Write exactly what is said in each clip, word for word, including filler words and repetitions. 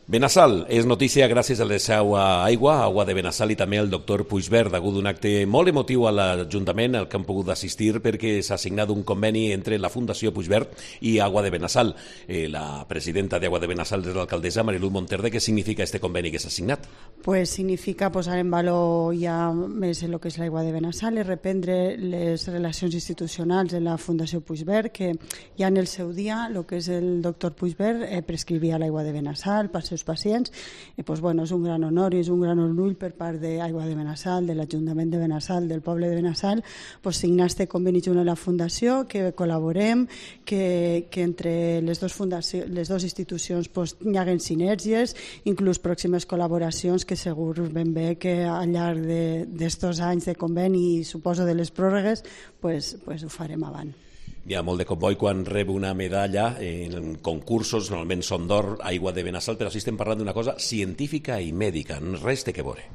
Benassal és notícia gràcies a la seva aigua, Aigua de Benassal, i també al doctor Puigverd, degut d'un acte molt emotiu a l'Ajuntament al que han pogut assistir perquè s'ha signat un conveni entre la Fundació Puigverd i Aigua de Benassal. Eh, la presidenta d'Aigua de Benassal és l'alcaldessa Mariluz Monterde. Què significa este conveni que s'ha signat? Pues significa posar en valor ja més el que és l'Aigua de Benassal i reprendre les relacions institucionals de la Fundació Puigverd, que ja en el seu dia el que és el doctor Puigverd eh, prescrivia l'Aigua de Benassal pels seus pacients, i pues, bueno, és un gran honor i és un gran orgull per part d'Aigua de Benassal, de l'Ajuntament de Benassal, del poble de Benassal, pues, signar este conveni junt a la Fundació, que col·laborem, que, que entre les dues fundacions, les dues institucions pues, hi haguen sinergies, inclús pròximes col·laboracions que segur ben bé que al llarg d'estos anys de conveni i suposo de les pròrrogues pues, pues, ho farem avant. Hi ha molt de comboi quan rep una medalla en concursos, normalment són d'or, Aigua de Benassal, però sí estem parlant d'una cosa científica i mèdica, res té que veure.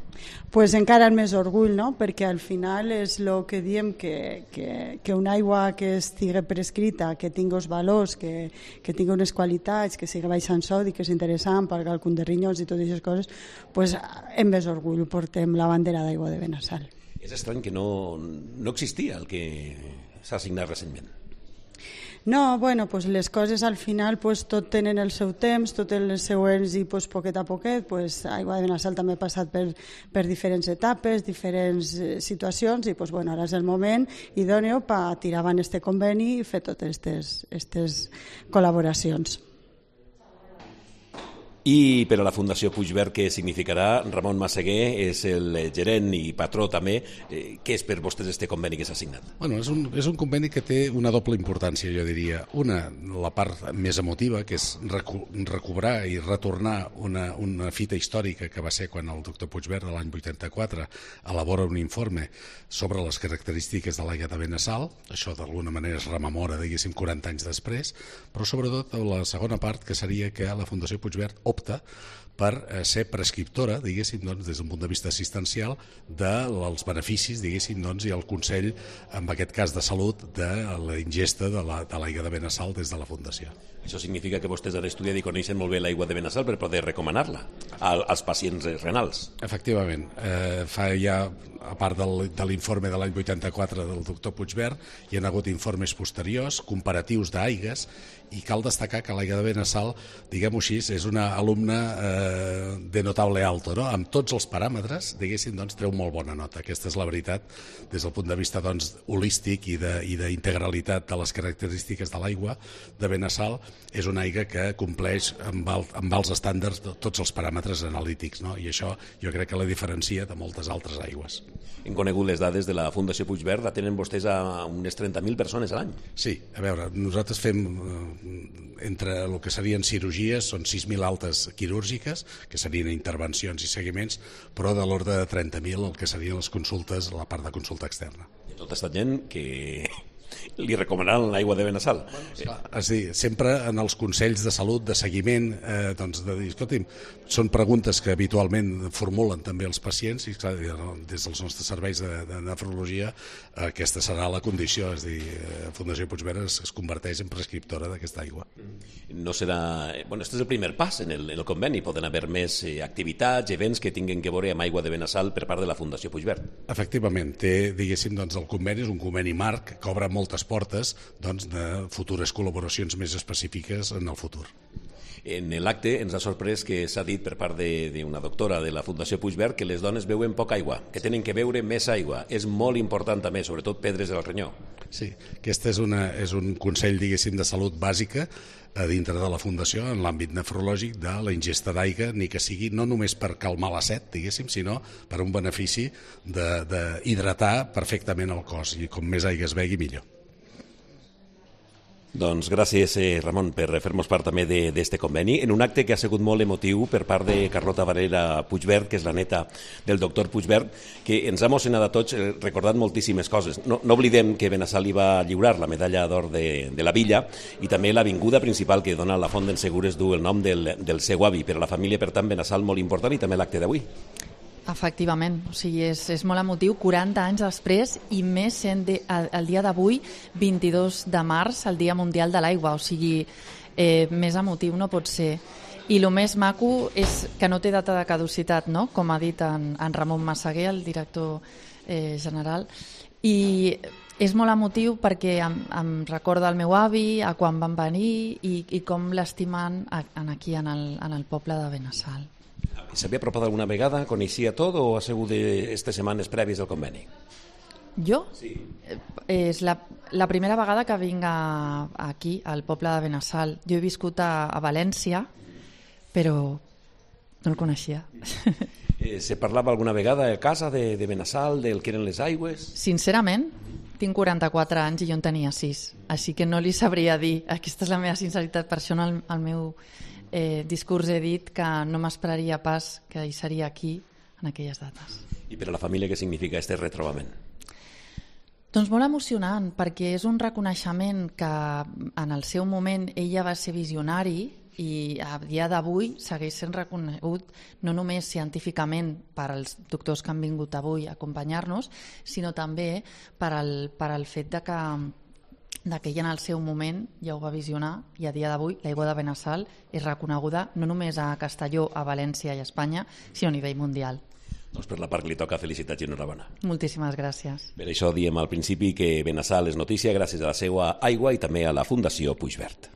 Pues encara el més orgull, no? Perquè al final és el que diem que, que, que una aigua que estigui prescrita, que tingui els valors, que, que tingui unes qualitats, que sigui baixa en sodi, que és interessant per al càlcul de rinyons i totes aquestes coses, pues amb més orgull portem la bandera d'Aigua de Benassal. És estrany que no, no existia el que s'ha signat recentment. No, bueno, pues les coses al final pues, tot tenen el seu temps, tot els següents i pues, poquet a poquet, pues, Aigua de Benassal també ha passat per, per diferents etapes, diferents situacions i pues, bueno, ara és el moment idòneo per tirar avant este conveni i fer totes aquestes col·laboracions. I per a la Fundació Puigverd, què significarà? Ramon Massaguer és el gerent i patró també. Eh, què és per vostès este conveni que s'ha signat? Bueno, és, un, és un conveni que té una doble importància, jo diria. Una, la part més emotiva, que és recu recobrar i retornar una, una fita històrica que va ser quan el doctor Puigverd, l'any vuitanta-quatre, elabora un informe sobre les característiques de l'aigua de Benassal. Això d'alguna manera es rememora, diguéssim, quaranta anys després, però sobretot la segona part, que seria que la Fundació Puigverd opta per ser prescriptora, diguéssim, doncs, des d'un punt de vista assistencial, dels beneficis, diguéssim, doncs, i el Consell, en aquest cas de salut, de la ingesta de l'aigua de Benassal des de la Fundació. Això significa que vostès han estudiat i coneixen molt bé l'aigua de Benassal per poder recomanar-la als pacients renals. Efectivament. Eh, fa ja, a part del, de l'informe de l'any vuitanta-quatre del doctor Puigverd, hi ha hagut informes posteriors, comparatius d'aigues, i cal destacar que l'aigua de Benassal, diguem-ho així, és una alumna eh, de notable alto, no? Amb tots els paràmetres, diguéssim, doncs, treu molt bona nota. Aquesta és la veritat, des del punt de vista doncs, holístic i d'integralitat de, de les característiques de l'aigua de Benassal. És una aigua que compleix amb, el, amb els estàndards de tots els paràmetres analítics, no? I això jo crec que la diferencia de moltes altres aigües. Hem conegut les dades de la Fundació Puigverd, la tenen vostès a unes trenta mil persones a l'any. Sí, a veure, nosaltres fem entre el que serien cirurgies, són sis mil altes quirúrgiques, que serien intervencions i seguiments, però de l'ordre de trenta mil el que serien les consultes, la part de consulta externa. I tota aquesta gent que li recomanaran l'aigua de Benassal. Bueno, és a dir, sempre en els consells de salut, de seguiment, eh, doncs de dir, escolti'm, són preguntes que habitualment formulen també els pacients i clar, des dels nostres serveis de, de nefrologia aquesta serà la condició, és a dir, Fundació Puigverd es, es converteix en prescriptora d'aquesta aigua. No serà... Bueno, este és el primer pas en el, en el conveni, poden haver més eh, activitats, events que tinguin que veure amb aigua de Benassal per part de la Fundació Puigverd. Efectivament, té, diguéssim, doncs el conveni és un conveni marc que obre moltes portes doncs, de futures col·laboracions més específiques en el futur. En l'acte ens ha sorprès que s'ha dit per part d'una doctora de la Fundació Puigverd que les dones beuen poca aigua, que tenen que beure més aigua. És molt important també, sobretot pedres del ronyó. Sí, aquest és, una, és un consell, diguéssim, de salut bàsica a dintre de la Fundació en l'àmbit nefrològic de la ingesta d'aigua, ni que sigui no només per calmar la set, diguéssim, sinó per un benefici d'hidratar perfectament el cos i com més aigua es begui millor. Doncs gràcies, eh, Ramon, per fer-nos part també d'aquest conveni, en un acte que ha sigut molt emotiu per part de Carlota Varela Puigverd, que és la neta del doctor Puigverd, que ens ha emocionat a tots eh, recordant moltíssimes coses. No, no oblidem que Benassal li va lliurar la medalla d'or de, de la Villa i també l'avinguda principal que dona la Font d'en Segures du el nom del, del seu avi. Per a la família, per tant, Benassal molt important i també l'acte d'avui. Efectivament, o sigui, és, és molt emotiu, quaranta anys després i més sent de, el, el dia d'avui, vint-i-dos de març, el Dia Mundial de l'Aigua, o sigui, eh, més emotiu no pot ser. I el més maco és que no té data de caducitat, no? Com ha dit en, en Ramon Massaguer, el director eh, general, i és molt emotiu perquè em, em recorda el meu avi, a quan van venir i, i com l'estimen aquí en el, en el poble de Benassal. S'havia apropat alguna vegada? Coneixia tot o ha sigut d'aquestes setmanes prèvies del conveni? Jo? Sí. És la, la primera vegada que vinc a, aquí, al poble de Benassal. Jo he viscut a, a València, però no el coneixia. Eh, se parlava alguna vegada a casa de, de Benassal, del que eren les aigües? Sincerament, tinc quaranta-quatre anys i jo en tenia sis, així que no li sabria dir. Aquesta és la meva sinceritat, per això en el, el meu eh, discurs he dit que no m'esperaria pas que hi seria aquí en aquelles dates. I per a la família què significa aquest retrobament? Doncs molt emocionant, perquè és un reconeixement que en el seu moment ella va ser visionari i a dia d'avui segueix sent reconegut no només científicament per als doctors que han vingut avui a acompanyar-nos, sinó també per al, per al fet de que, de que ella en el seu moment ja ho va visionar i a dia d'avui l'aigua de Benassal és reconeguda no només a Castelló, a València i a Espanya, sinó a nivell mundial. Doncs per la part que li toca, felicitats i enhorabona. Moltíssimes gràcies. Per això diem al principi que Benassal és notícia gràcies a la seva aigua i també a la Fundació Puigverd.